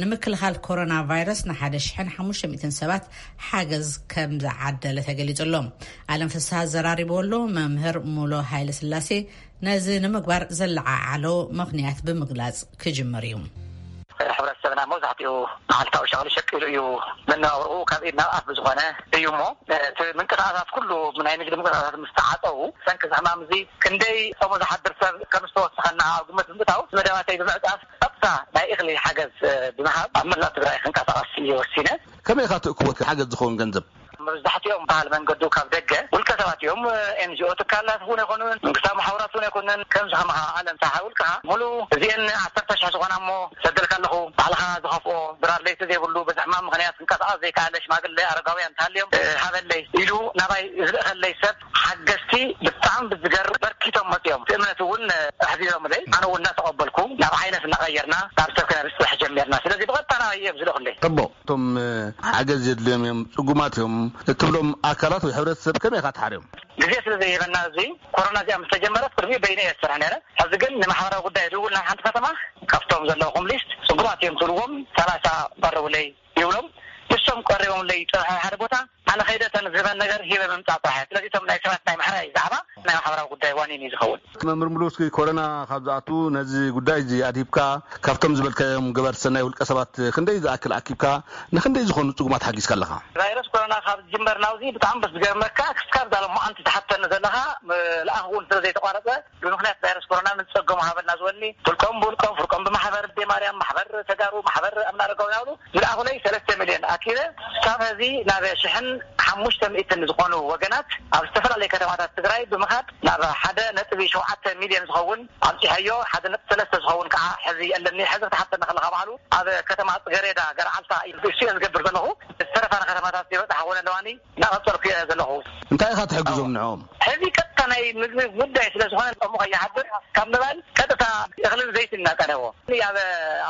ንምክልኻል ኮሮና ቫይረስ ንሓደ ሽሕን ሓሙሽተ ሚእትን ሰባት ሓገዝ ከም ዝዓደለ ተገሊጹ ኣሎ። ኣለም ፍስሃ ዘራሪቡ ኣሎ። መምህር ሙሉ ሃይለ ስላሴ ነዚ ንምግባር ዘለዓዓሎ ምኽንያት ብምግላጽ ክጅምር እዩ። ሕብረተሰብና መብዛሕትኡ መዓልታዊ ሸቕሊ ሸቂሉ እዩ መነባብርኡ ካብ ኢድ ናብ ኣፍ ብዝኾነ እዩ እሞ፣ እቲ ምንቅስቓሳት ኩሉ ናይ ንግዲ ምንቅስቓሳት ምስ ተዓጸዉ፣ ሰንኪ እዚ ሕማም እዚ ክንደይ ጾሙ ዝሓድር ሰብ ከም ዝተወሰኸና ኣብ ግምት ብምእታው፣ መደባተይ ብምዕጻፍ ቀጥታ ናይ እኽሊ ሓገዝ ብምሃብ ኣብ መላእ ትግራይ ክንቀሳቐስ እየ ወሲነ። ከመይ ኢኻ ትእክቦ ሓገዝ ዝኸውን ገንዘብ? መብዛሕትኦም በዓል መንገዱ ካብ ደገ ውልቀ ሰባት እዮም። ኤን ጂ ኦ ትካላት እውን ኣይኮኑን፣ መንግስታዊ ማሕበራት እውን ኣይኮኑን። ከምዚ ከማኻ ኣለም ሰሓ ውልቅኻ ሙሉ እዚአን ዓሰርተ ሽሕ ዝኾና እሞ ሰደልካ ኣለኹ፣ ባዕልኻ ዝኸፍኦ ድራር ለይቲ ዘይብሉ በዚ ሕማም ምኽንያት ክንቀሳቐስ ዘይከኣለ ሽማግለ ኣረጋውያን እንተሃልዮም፣ እ፣ ሃበለይ ኢሉ ናባይ ዝልእኸለይ ሰብ ሓገዝቲ ብጣዕሚ ብዝገርም በርኪቶም መፅዮም። እቲ እምነት እውን ኣሕዚዞምለይ፣ ኣነ እውን እናተቐበልኩ ናብ ዓይነት እናቐየርና ናብ ሰብ ክነብፅሕ ጀሚርና። ስለዚ ብቐጥታ ናባይ እዮም ዝልእኹለይ። ጽቡቕ። እቶም፣ እ፣ ሓገዝ የድልዮም እዮም፣ ጽጉማት እዮም እትብሎም ኣካላት ወይ ሕብረተሰብ ከመይ ኢኻ ትሓርዮም? ግዜ ስለ ዘይህበና፣ እዚ ኮሮና እዚኣ ምስ ተጀመረት ቅድሚኡ በይነ እየ ዝሰርሕ ነይረ። ሕዚ ግን ንማሕበራዊ ጉዳይ ዝውል ናይ ሓንቲ ከተማ ካብቶም ዘለኹም ሊስት ጽጉማት እዮም ትብልዎም ሰላሳ ቀረቡለይ ይብሎም። ንሶም ቀሪቦምለይ ይጽንሑ ሓደ ቦታ፣ ኣነ ከይደ እተን ዝህበን ነገር ሂበ ምምጻእ ጥራሕ። ስለዚ እቶም ናይ ሰባት ናይ ምሕራይ ዛዕባ ናይ ማሕበራዊ ጉዳይ ዋኒን እዩ ዝኸውን። መምህር ሙሉ፣ እስኪ ኮሮና ካብ ዝኣቱ ነዚ ጉዳይ እዚ ኣድሂብካ ካብቶም ዝበልካዮም ገበርቲ ሰናይ ውልቀ ሰባት ክንደይ ዝኣክል ኣኪብካ፣ ንክንደይ ዝኾኑ ጽጉማት ሓጊዝካ ኣለኻ? ቫይረስ ኮሮና ካብ ዝጅመር ናብዚ ብጣዕሚ በስ ዝገርመካ፣ ክስካብ ዛሎም መዓንቲ ትሓተኒ ዘለኻ፣ ም-፣ ልኣኽ እውን ስለ ዘይተቋረጸ፣ ብምኽንያት ቫይረስ ኮሮና ንዝጸገሙ ሃበልና ዝበሉኒ፣ ውልቆም ብውልቆም፣ ፍርቆም ብማሕበር፣ ኣደይ ማርያም፣ ማሕበር ተጋሩ፣ ማሕበር ኣምና ኣረጋዊ ናብሉ ዝለኣኹለይ ሰለስተ ሚልዮን ኣኪበ፣ ካብ ሕዚ ናብ ሽሕን ሓሙሽተ ሚእትን ዝኾኑ ወገናት ኣብ ዝተፈላለዩ ከተማታት ትግራይ ብምኻድ ናብ ሓደ ነጥቢ ሸውዓተ ሚልዮን ዝኸውን ኣብፂሐዮ፣ ሓደ ነጥቢ ሰለስተ ዝኸውን ከዓ ሕዚ ኣለኒ። ሕዚ ክትሓተኒ ከለኻ ባዕሉ ኣብ ከተማ ፅገሬዳ ገርዓልታ እዩ እሱ እየ ዝገብር ዘለኹ። ዝተረፋ ከተማታት ይበፅሓ እውን ኣለዋኒ። እናቐጸልኩ እየ ዘለኹ። እንታይ ኢኻ ትሕግዞም ንዕኦም? ሕዚ ቀጥታ ናይ ምግቢ ጉዳይ ስለ ዝኾነ፣ እሞ ከይሓድር ካብ ምባል ቀጥታ እኽልን ዘይትን እናቀረቦ። ኣብ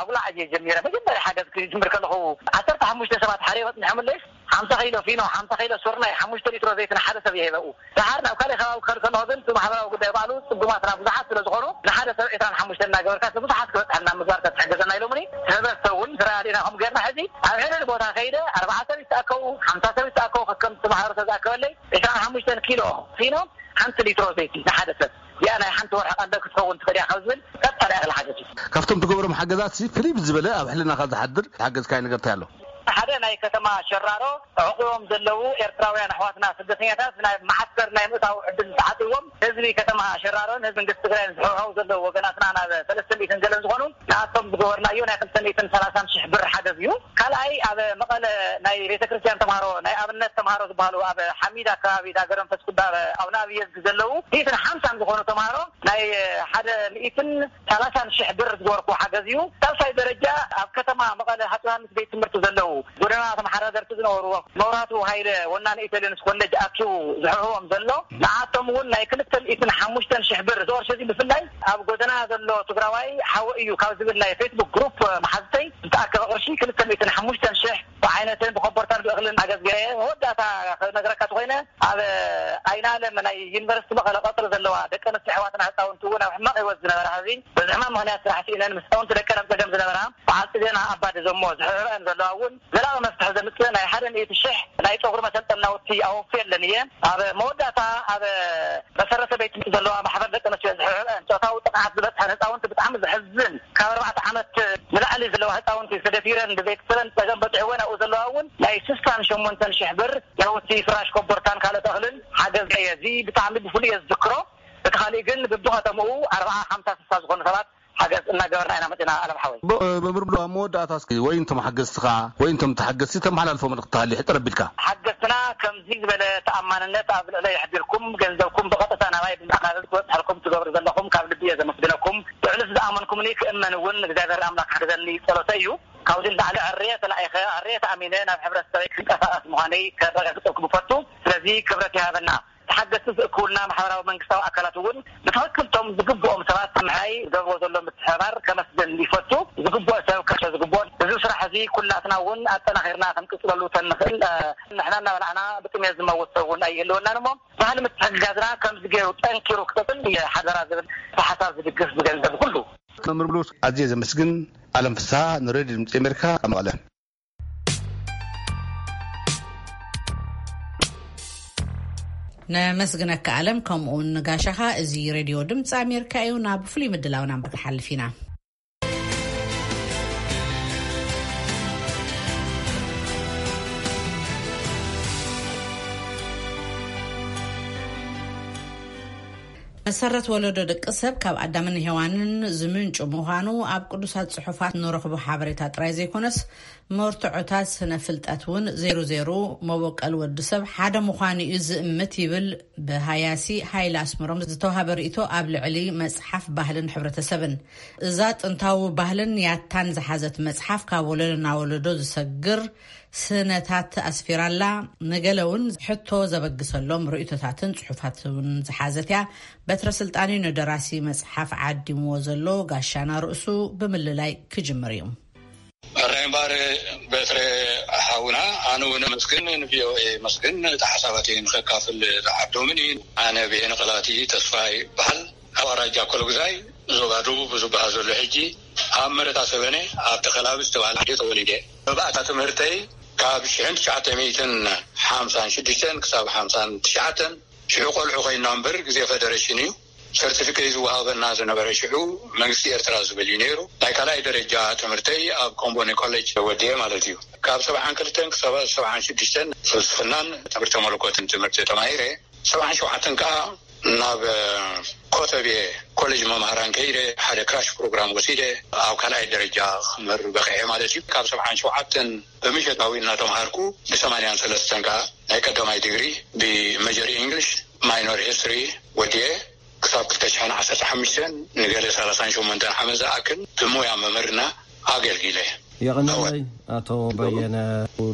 ኣጉላዕ እየ ጀሚረ። መጀመርያ ሓገዝ ክጅምር ከለኹ፣ ዓሰርተ ሓሙሽተ ሰባት ሓደ መፅንሖምለይ፣ ሓምሳ ኪሎ ፊኖ፣ ሓምሳ ኪሎ ስርናይ፣ ሓሙሽተ ሊትሮ ዘይትን ሓደ ሰብ ይህበኡ። ደሓር ናብ ካልእ ከባቢ ክኸድ ከለኹ ግን፣ እቲ ማሕበራዊ ጉዳይ ባዕሉ ጽጉማትና ብዙሓት ስለ ዝኾኑ፣ ንሓደ ሰብ ዕስራን ሓሙሽተን እናገበርካ፣ ንብዙሓት ክበጽሐልና ምግባር ተትሕግዘና ኢሎምኒ። ሕብረተሰብ እውን ስራሕ ኣዲና ከም ጌርና፣ ሕዚ ኣብ ሕድሕድ ቦታ ከይደ፣ ኣርባዓ ሰብ ይተኣከቡ፣ ሓምሳ ሰብ ይተኣከቡ፣ ከከም ተማሃሮ ተዝኣከበለይ፣ ዕስራን ሓሙሽተን ኪሎ ፊኖ፣ ሓንቲ ሊትሮ ዘይቲ ንሓደ ሰብ። እዚኣ ናይ ሓንቲ ወርሒ ቀንደ ክትከውን ትኽእል እያ ካብ ዝብል ቀጥታ ናይ እኽሊ ሓገዝ እዩ። ካብቶም ትገብሮም ሓገዛት ሲ ፍልይ ብዝበለ ኣብ ሕልናኻ ዝሓድር ዝሓገዝካዮ ነገር እንታይ ኣሎ? ሓደ ናይ ከተማ ሸራሮ ተዕቑቦም ዘለዉ ኤርትራውያን ኣሕዋትና ስደተኛታት ናብ መዓስከር ናይ ምእታው ዕድል ተዓጽዎም፣ ህዝቢ ከተማ ሸራሮን ህዝቢ መንግስቲ ትግራይን ዝሕውሐው ዘለዉ ወገናትና ናብ ሰለስተ ሚእትን ገለን ዝኾኑ ንኣቶም ዝገበርናዮ ናይ ክልተ ሚእትን ሰላሳን ሽሕ ብር ሓገዝ እዩ። ካልኣይ ኣብ መቐለ ናይ ቤተ ክርስቲያን ተምሃሮ፣ ናይ ኣብነት ተምሃሮ ዝበሃሉ ኣብ ሓሚድ ኣካባቢ ዳገረ መንፈስ ቅዱስ ኣብ ኣቡነ ኣብየ ዘለዉ ሚእትን ሓምሳን ዝኾኑ ተምሃሮ ናይ ሓደ ሚእትን ሰላሳን ሽሕ ብር ዝገበርኩ ሓገዝ እዩ። ሳልሳይ ደረጃ ኣብ ከተማ መቐለ ሃፀይ ዮሃንስ ቤት ትምህርቲ ዘለዉ ጎደና ተመሓዳደርቲ ዝነበርዎ መብራህቱ ሃይለ ወናኒ ኢተልዮንስ ኮሌጅ ኣኪቡ ዝሕውሕዎም ዘሎ ንዓቶም እውን ናይ ክልተ ሚእትን ሓሙሽተን ሽሕ ብር፣ እዚ ቅርሺ እዚ ብፍላይ ኣብ ጎደና ዘሎ ትግራዋይ ሓወ እዩ ካብ ዝብል ናይ ፌስቡክ ግሩፕ መሓዝተይ ዝተኣከበ ቅርሺ ክልተ ሚእትን ሓሙሽተን ሽሕ ብዓይነትን ብኮቦርታን ብእኽልን ሓገዝ ገይረ። መወዳእታ ክነግረካ ተኾይነ ኣብ ኣይናለ ናይ ዩኒቨርሲቲ መቐለ ቀፅሪ ዘለዋ ደቂ ኣንስትዮ ኣሕዋትና ህፃውንቲ እውን ኣብ ሕማቕ ህይወት ዝነበራ፣ ሕዚ በዚ ሕማም ምኽንያት ስራሕ ስኢነን ምስ ህፃውንቲ ደቀን ኣብ ፀገም ዝነበራ፣ በዓልቲ ዜና ኣባዲ ዘሞ ዝሕብሕበን ዘለዋ እውን ዘላቒ መፍትሒ ዘምፅእ ናይ ሓደ ሚእቲ ሽሕ ናይ ፀጉሪ መሰልጠን ናውቲ ኣወፍየለን እየ። ኣብ መወዳእታ ኣብ መሰረተ ቤት ትምህርቲ ዘለዋ ማሕበር ደቂ ኣንስትዮ ዝሕብሕበን ፆታዊ ጥቕዓት ዝበፅሐን ህፃውንቲ ብጣዕሚ ዘሕዝን፣ ካብ ኣርባዕተ ዓመት ንላዕሊ ዘለዋ ህፃውንቲ ተደፊረን ብቤተሰበን ፀገም በፅሕወን ኣብኡ ዘለዋ እውን ናይ ስሳን ሸሞንተን ሽሕ ብር ናውቲ ፍራሽ ኮቦርታን ካልኦት እኽልን ሓገዝ እየ። እዚ ብጣዕሚ ብፍሉይ እየ ዝዝክሮ። እቲ ካሊእ ግን ብብኸተምኡ ኣርባዓ፣ ሓምሳ፣ ስሳ ዝኾኑ ሰባት ሓገዝ እናገበርና ኢና መፂና፣ ኣለም ሓወይ። ብ-፣ መምህር ብሉ፣ ኣብ መወዳእታ እስኪ ወይ እንቶም ሓገዝትኻ ወይ እንቶም ተሓገዝቲ ተመሓላልፎ መልእኽቲ ተሃልዩ ሕፅር ኣቢልካ። ሓገዝትና ከምዚ ዝበለ ተኣማንነት ኣብ ልዕለይ ኣሕዲርኩም፣ ገንዘብኩም ብቐጥታ ናባይ ብምዕቃብ ክበፅሐልኩም ትገብሩ ዘለኹም ካብ ልቢ እየ ዘመስግነኩም። ልዕሊ ዝኣመንኩምኒ ክእመን እውን እግዚኣብሔር ኣምላኽ ሓግዘኒ ጸሎተይ እዩ። ካብዚ ንላዕሊ ዕርየ ተላኢኸ፣ ዕርየ ተኣሚነ ናብ ሕብረተሰበይ ክንቀሳቐስ ምዃነይ ከረጋግጸልኩም እፈቱ። ስለዚ ክብረት ይሃበና። ተሓገዝቲ ዝእክቡልና ማሕበራዊ መንግስታዊ ኣካላት እውን ብትኽክል እቶም ዝግብኦም ሰባት ምሕያይ ዝገብርዎ ዘሎ ምትሕብባር ከመስግን ይፈቱ። ዝግብኦ ሰብ ከርሸ ዝግብኦ። እዚ ስራሕ እዚ ኩላትና እውን ኣጠናኺርና ክንቅጽለሉ ተንኽእል፣ እ፣ ንሕና እናበላዕና ብጥሜት ዝመውት ሰብ እውን ኣይህልወናን እሞ፣ ባህሊ ምትሕግጋዝና ከምዚ ገይሩ ጠንኪሩ ክቀጽል ሓደራ ዝብል ብሓሳብ ዝድግፍ ብገንዘብ ኩሉ። መምህር ብሉስ ኣዝየ ዘመስግን። ኣለም ፍስሃ ንሬድዮ ድምፂ ኣሜሪካ ካብ መቐለ። ነመስግነካ ኣለም፣ ከምኡውን ንጋሻኻ። እዚ ሬድዮ ድምፂ ኣሜሪካ እዩ። ናብ ፍሉይ ምድላውና ክንሓልፍ ኢና። መሰረት ወለዶ ደቂ ሰብ ካብ ኣዳምን ሄዋንን ዝምንጩ ምዃኑ ኣብ ቅዱሳት ጽሑፋት ንረኽቦ ሓበሬታ ጥራይ ዘይኮነስ፣ መርትዖታት ስነ ፍልጠት እውን ዜሩ ዜሩ መበቆል ወዲ ሰብ ሓደ ምዃኑ እዩ ዝእምት ይብል ብሃያሲ ሃይለ ኣስመሮም ዝተዋሃበ ርእይቶ ኣብ ልዕሊ መጽሓፍ ባህልን ሕብረተሰብን። እዛ ጥንታዊ ባህልን ያታን ዝሓዘት መጽሓፍ ካብ ወለዶ ናብ ወለዶ ዝሰግር ስነታት ኣስፊራላ፣ ንገለ እውን ሕቶ ዘበግሰሎም ርእይቶታትን ጽሑፋት እውን ዝሓዘት እያ። በትረ ስልጣን እዩ ንደራሲ መጽሓፍ ዓዲምዎ ዘሎ። ጋሻና ርእሱ ብምልላይ ክጅምር እዩ። ኣራይ እምበኣር በትረ ሓውና፣ ኣነ እውን ኣመስግን፣ ንቪኦኤ ኣመስግን፣ እቲ ሓሳባተይ ንኸካፍል ዝዓደሙኒ። ኣነ ብሄነ ቐላቲ ተስፋ ይበሃል። ኣብ ኣውራጃ ኮሎግዛይ፣ ዞባ ደቡብ ዝበሃል ዘሎ ሕጂ፣ ኣብ መረታ ሰበነ፣ ኣብ ተኸላቢ ዝተባህለ ዓዲ ተወሊደ። መባእታ ትምህርተይ ካብ ሽሕን ትሽዓተ ሚእትን ሓምሳን ሽዱሽተን ክሳብ ሓምሳን ትሽዓተን፣ ሽዑ ቆልዑ ኮይንና እምበር፣ ግዜ ፈደረሽን እዩ። ሰርቲፊኬት ዝወሃበና ዝነበረ ሽዑ መንግስቲ ኤርትራ ዝብል እዩ ነይሩ። ናይ ካልኣይ ደረጃ ትምህርተይ ኣብ ኮምቦኒ ኮሌጅ ወዲኤ ማለት እዩ። ካብ ሰብዓን ክልተን ክሳብ ሰብዓን ሽዱሽተን ፍልስፍናን ትምህርቲ መለኮትን ትምህርቲ ተማሂረ። ሰብዓን ሸውዓተን ከኣ ናብ ኮተቤ ኮሌጅ መምሃራን ከይደ፣ ሓደ ክራሽ ፕሮግራም ወሲደ፣ ኣብ ካልኣይ ደረጃ ክምህር በቂዐ ማለት እዩ። ካብ ሰብዓን ሸውዓተን ብምሸታዊ እናተምሃርኩ፣ ብሰማንያን ሰለስተን ከኣ ናይ ቀዳማይ ዲግሪ ብመጀር ኢንግሊሽ ማይኖር ሂስትሪ ወዲኤ፣ ክሳብ ክልተ ሽሕን ዓሰርተ ሓሙሽተን ንገለ ሰላሳን ሸሞንተን ዓመት ዝኣክል ብሞያ መምህርና ኣገልጊለ። የቐንየለይ ኣቶ በየነ፣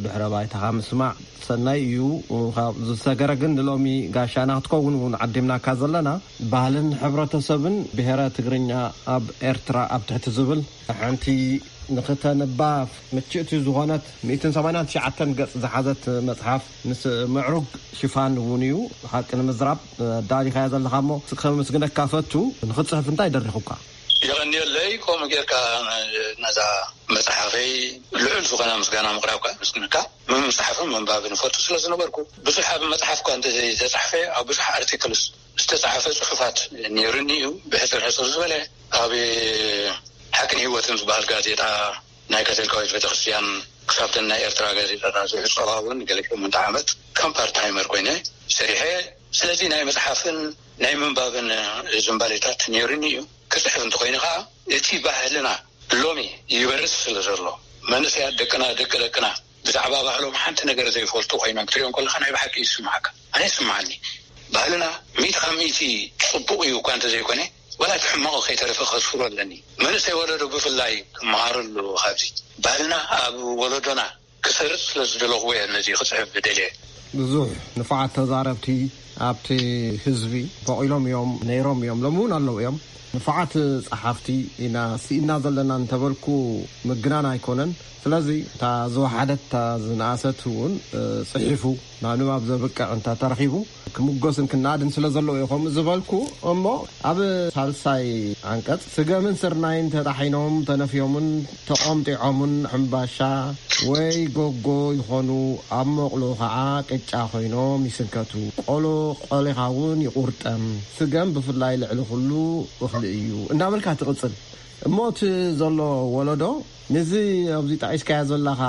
ድሕረ ባይታኻ ምስማዕ ሰናይ እዩ። ካብ ዝሰገረ ግን ንሎሚ ጋሻና ክትከውን እውን ዓዲምናካ ዘለና፣ ባህልን ሕብረተሰብን ብሔረ ትግርኛ ኣብ ኤርትራ ኣብ ትሕቲ ዝብል ሓንቲ ንኽተንባ ምችእቲ ዝኾነት ሚእትን ሰማንያን ትሽዓተን ገጽ ዝሓዘት መጽሓፍ ምስ ምዕሩግ ሽፋን እውን እዩ። ሓቂ ንምዝራብ ኣዳሊኻያ ዘለኻ እሞ ከመስግነካ ፈቱ። ንኽትጽሕፍ እንታይ ደሪኹካ? የቐንየለይ፣ ከምኡ ጌርካ ነዛ መጽሓፈይ ልዑል ዝኾነ ምስጋና ምቕራብካ ምስግነካ። ምምጽሓፍን ምንባብን እፈቱ ስለ ዝነበርኩ፣ ብዙሕ ኣብ መጽሓፍ እኳ እንተዘይተጻሕፈ፣ ኣብ ብዙሕ ኣርቲክልስ ዝተጻሕፈ ጽሑፋት ነይሩኒ እዩ። ብሕጽር ሕጽር ዝበለ፣ ኣብ ሓቅን ህይወትን ዝበሃል ጋዜጣ ናይ ካቶሊካዊት ቤተክርስትያን ክሳብተን ናይ ኤርትራ ጋዜጣታት ዝሕጸባ እውን ገለ ሸሞንተ ዓመት ከም ፓርታይመር ኮይነ ሰሪሐ። ስለዚ ናይ መጽሓፍን ናይ ምንባብን ዝንባሌታት ነይሩኒ እዩ። ክጽሕፍ እንተኾይኑ ኸኣ፣ እቲ ባህልና ሎሚ ይበርስ ስለ ዘሎ፣ መንእሰያት ደቅና፣ ደቂ ደቅና ብዛዕባ ባህሎም ሓንቲ ነገር ዘይፈልጡ ኮይኖም ክትሪኦም ከለኻ ናይ ብሓቂ ይስምዓካ። ኣነ ይስምዓኒ። ባህልና ሚእቲ ካብ ሚእቲ ጽቡቕ እዩ እኳ እንተዘይኮነ፣ ዋላ እቲ ሕማቑ ከይተረፈ ከስፍሮ ኣለኒ። መንእሰይ ወለዶ ብፍላይ ክመሃረሉ ካብዚ። ባህልና ኣብ ወለዶና ክሰርጽ ስለ ዝደለኹ እየ ነዚ ክጽሕፍ ዝደልየ። ብዙሕ ንፉዓት ተዛረብቲ ኣብቲ ህዝቢ በቒሎም እዮም፣ ነይሮም እዮም፣ ሎሚ እውን ኣለዉ እዮም። ንፉዓት ጸሓፍቲ ኢና ስኢና ዘለና እንተበልኩ ምግናን ኣይኮነን። ስለዚ እታ ዝወሓደት፣ እታ ዝነኣሰት እውን፣ እ፣ ጽሒፉ ናብ ንባብ ዘብቅዕ እንተ ተረኺቡ ክምጎስን ክናድን ስለ ዘለዎ እዩ ከምኡ ዝበልኩ። እሞ ኣብ ሳልሳይ ዓንቀጽ፣ ስገምን ስርናይን ተጣሒኖም፣ ተነፍዮምን ተቖምጢዖምን፣ ሕምባሻ ወይ ጎጎ ይኾኑ፣ ኣብ መቑሎ ኸዓ ቅጫ ኮይኖም ይስንከቱ። ቆሎ ቆሊኻ እውን ይቑርጠም። ስገም ብፍላይ ልዕሊ ኩሉ እኽሊ እዩ። እንዳበልካ ትቕጽል። እሞ እቲ ዘሎ ወለዶ ነዚ ኣብዚ ጠቒስካዮ ዘለኻ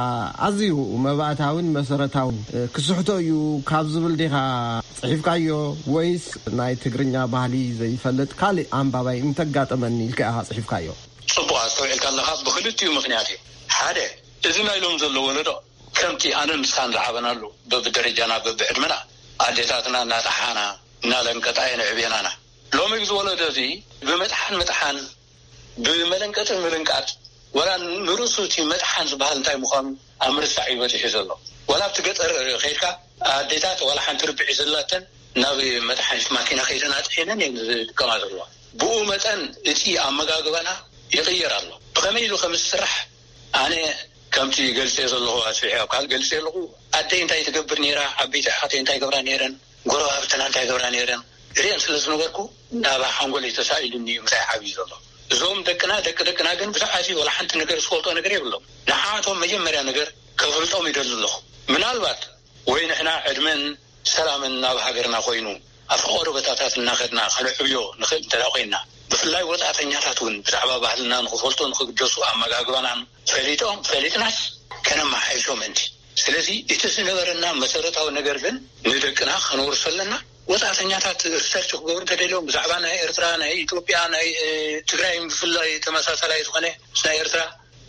ኣዝዩ መባእታዊን መሰረታዊን፣ እ፣ ክስሕቶ እዩ ካብ ዝብል ዲኻ ጽሒፍካዮ፣ ወይስ ናይ ትግርኛ ባህሊ ዘይፈልጥ ካልእ ኣንባባይ እንተጋጠመኒ ኢልካ ኢኻ ጽሒፍካዮ? ጽቡቕ ኣስተውዒልካ ኣለኻ። ብኽልቲኡ ምኽንያት እዩ። ሓደ፣ እዚ ናይ ሎም ዘሎ ወለዶ ከምቲ ኣነን ንስኻን ዝዓበናሉ በብደረጃና በብዕድመና ኣዴታትና እናጠሓና እናለንቀጣ የን ዕብየናና። ሎሚ እዚ ወለዶ እዚ ብምጥሓን ምጥሓን፣ ብመለንቀጥን ምልንቃጥ፣ ወላ ንርእሱ እቲ መጥሓን ዝበሃል እንታይ ምዃኑ ኣብ ምርሳዕ እዩ በጺሑ ዘሎ። ወላ ኣብቲ ገጠር ከይድካ ኣዴታት ዋላ ሓንቲ ርብዒ ዘላተን ናብ መጥሓኒት ማኪና ከይደን ኣጥሒነን እየን ዝጥቀማ ዘለዋ። ብኡ መጠን እቲ ኣመጋግባና ይቕየር ኣሎ። ብኸመይ ኢሉ ከም ዝስራሕ ኣነ ከምቲ ገልጸ ዘለኹ ኣስፊሐ ኣብ ካልእ ገልጸ ኣለኹ። ኣደይ እንታይ ትገብር ነይራ፣ ዓበይቲ ኣሓተይ እንታይ ገብራ ነይረን፣ ጎረባብትና እንታይ ገብራ ነይረን ርእየን ስለ ዝነበርኩ፣ ናብ ሓንጎለይ ተሳኢሉኒ እዩ ምሳይ ዓብዩ ዘሎ። እዞም ደቅና፣ ደቂ ደቅና ግን ብዛዕባ እዚ ወላ ሓንቲ ነገር ዝፈልጦ ነገር የብሎም። ንዓቶም መጀመርያ ነገር ከፍልጦም ይደሊ ኣለኹ። ምናልባት ወይ ንሕና ዕድመን ሰላምን ናብ ሃገርና ኮይኑ፣ ኣብ ፈቐዶ ቦታታት እናኸድና ከነዕብዮ ንኽእል እንተ ደኣ ኮይንና፣ ብፍላይ ወጻእተኛታት እውን ብዛዕባ ባህልና ንኽፈልጡ፣ ንኽግደሱ፣ ኣመጋግባናን ፈሊጦም፣ ፈሊጥናስ ከነመሓይሾ ምእንቲ። ስለዚ እቲ ዝነበረና መሰረታዊ ነገር ግን ንደቅና ከነውርሶ ኣለና። ወጻእተኛታት ሪሰርች ክገብሩ እንተደልዮም ብዛዕባ ናይ ኤርትራ፣ ናይ ኢትዮጵያ፣ ናይ፣ እ፣ ትግራይ ብፍላይ ተመሳሳላይ ዝኾነ ምስ ናይ ኤርትራ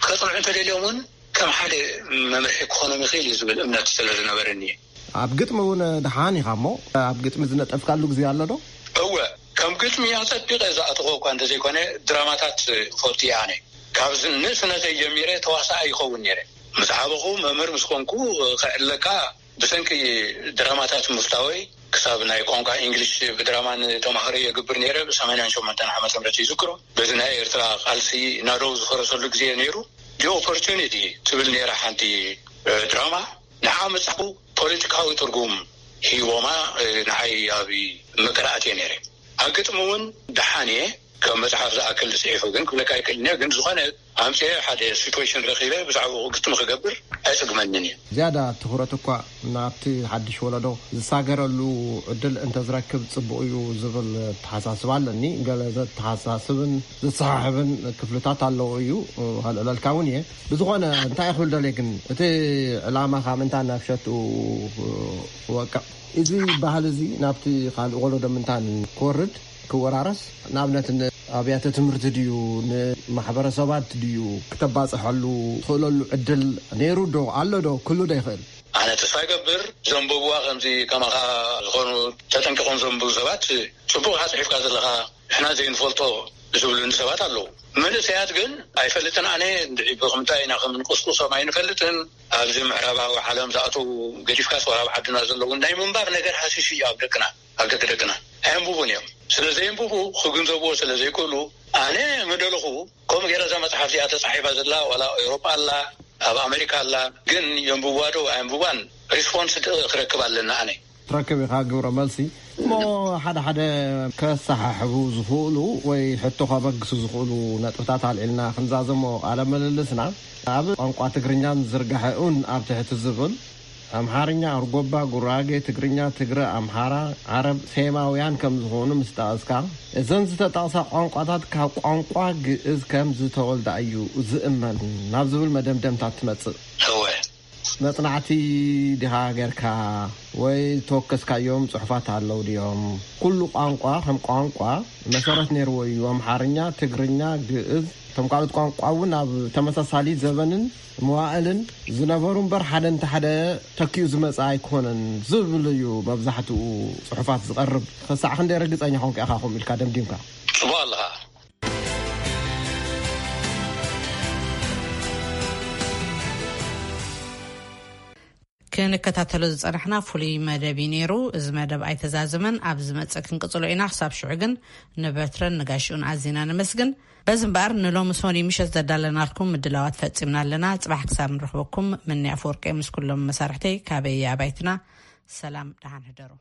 ከጽንዑ እንተደልዮም እውን ከም ሓደ መምርሒ ክኾኖም ይኽእል እዩ ዝብል እምነት ስለ ዝነበረኒ እየ። ኣብ ግጥሚ እውን ደሓን ኢኻ እሞ፣ ኣብ ግጥሚ ዝነጠፍካሉ ግዜ ኣሎ ዶ? እወ፣ ከም ግጥሚ ኣጸቢቐ ዝኣተኹ እኳ እንተዘይኮነ፣ ድራማታት እፈቱ እየ ኣነ። ካብ ዝ-፣ ንእስነተይ ጀሚረ ተዋሳኣይ ይኸውን ነይረ። ምስ ዓበኹ፣ መምህር ምስ ኮንኩ፣ ከዕለካ ብሰንኪ ድራማታት ምፍታወይ፣ ክሳብ ናይ ቋንቋ እንግሊሽ ብድራማ ንተማሃሮ የግብር ነይረ፣ ብ ሰማንያን ሸሞንተን ዓመተ ምህረት ይዝክሮ። በዚ ናይ ኤርትራ ቃልሲ ናደው ዝፈረሰሉ ግዜ ነይሩ። The Opportunity ትብል ነይራ ሓንቲ፣ እ፣ ድራማ። ንዓ መጽሓፉ ፖለቲካዊ ትርጉም ሂቦማ፣ እ፣ ንዓይ ኣብ ምቅራኣት እየ ነይረ። ኣብ ግጥሚ እውን ደሓን እየ። ከም መጽሓፍ ዝኣክል ጽሒፉ ግን ክብለካ ኣይክእልን እየ። ግን ዝኾነ ኣምጽኤ ሓደ ሲትዌሽን ረኺበ ብዛዕባኡ ግጥሚ ክገብር ኣይጽግመንን እዩ። ዝያዳ ትኹረት እኳ ናብቲ ሓድሽ ወለዶ ዝሳገረሉ ዕድል እንተዝረክብ ጽቡቕ እዩ ዝብል ኣተሓሳስባ ኣለኒ። ገለ ዘተሓሳስብን ዘሰሓሕብን ክፍልታት ኣለዎ እዩ። ከልዕለልካ እውን እየ። ብዝኾነ እንታይ ክብል ደልየ ግን፣ እቲ ዕላማኻ ምእንታ ናብ ሸትኡ ክወቅዕ፣ እዚ ባህሊ እዚ ናብቲ ካልእ ወለዶ ምእንታን ክወርድ፣ ክወራረስ፣ ንኣብነት ንኣብያተ ትምህርቲ ድዩ፣ ንማሕበረሰባት ድዩ ክተባጽሐሉ ትኽእለሉ ዕድል ነይሩ ዶ ኣሎ ዶ ክህሉ ዶ ይኽእል? ኣነ ተስፋ ይገብር ዘንበብዋ ከምዚ ከማኻ ዝኾኑ ተጠንቂቖም ዘንብቡ ሰባት ጽቡቕ ኢኻ ጽሒፍካ ዘለኻ። ንሕና ዘይንፈልጦ ዝብሉኒ ሰባት ኣለዉ። መንእሰያት ግን ኣይፈልጥን ኣነ እንድዒ ብኽምንታይ ኢና ከም ንቁስቁሶም ኣይንፈልጥን። ኣብዚ ምዕራባዊ ዓለም ዝኣተዉ ገዲፍካስ ዋላ ኣብ ዓድና ዘለዉ ናይ ምንባብ ነገር ሃሲሱ እዩ ኣብ ደቅና፣ ኣብ ደቂ ደቅና። ኣየንብቡን እዮም። ስለ ዘየንብቡ ክግንዘብዎ ስለ ዘይክእሉ ኣነ ምደለኹ ከምኡ ገይረ እዛ መጽሓፍ እዚኣ ተጻሒፋ ዘላ ዋላ ኣብ ኤውሮጳ ኣላ፣ ኣብ ኣሜሪካ ኣላ፣ ግን የንብብዋ ዶ ኣየንብባን ሪስፖንስ ድ-፣ ክረክብ ኣለና ኣነ። ትረክብ ኢኻ ግብረ መልሲ። እሞ ሓደ ሓደ ከሰሓሕቡ ዝኽእሉ ወይ ሕቶ ከበግሱ ዝኽእሉ ነጥብታት ኣልዒልና ክንዛዘሞ ቃለ ምልልስና፣ ኣብ ቋንቋ ትግርኛን ዝርጋሐኡን ኣብ ትሕቲ ዝብል ኣምሓርኛ፣ ኣርጎባ፣ ጉራጌ፣ ትግርኛ፣ ትግረ፣ ኣምሓራ፣ ዓረብ፣ ሴማውያን ከም ዝኾኑ ምስ ጠቐስካ፣ እዘን ዝተጠቕሳ ቋንቋታት ካብ ቋንቋ ግእዝ ከም ዝተወልዳ እዩ ዝእመን ናብ ዝብል መደምደምታ ትመጽእ። እወ። መጽናዕቲ ዲኻ ጌርካ ወይ ዝተወከስካዮም ጽሑፋት ኣለዉ ድዮም? ኩሉ ቋንቋ ከም ቋንቋ መሰረት ነይርዎ እዩ። ኣምሓርኛ፣ ትግርኛ፣ ግእዝ፣ እቶም ካልኦት ቋንቋ እውን ኣብ ተመሳሳሊ ዘበንን መዋእልን ዝነበሩ እምበር፣ ሓደ እንተ ሓደ ተኪኡ ዝመጽእ ኣይኮነን ዝብል እዩ መብዛሕትኡ ጽሑፋት ዝቐርብ። ክሳዕ ክንደይ ርግጸኛ ኮንካ ኢኻ ከምኡ ኢልካ ደምዲምካ? ጽቡቕ ኣለኻ። ክንከታተሎ ዝጸናሕና ፍሉይ መደብ እዩ ነይሩ። እዚ መደብ ኣይተዛዘመን፣ ኣብ ዝመጽእ ክንቅጽሎ ኢና። ክሳብ ሽዑ ግን ንበትረን ንጋሽኡን ኣዚና ነመስግን። በዚ እምበኣር ንሎሚ ሰሙን ምሸት ዘዳለናልኩም ምድላዋት ፈጺምና ኣለና። ጽባሕ ክሳብ ንረኽበኩም፣ ምኒ ኣፈወርቂ ምስ ኩሎም መሳርሕተይ ካበይ ኣባይትና ሰላም፣ ደሓን ህደሩ።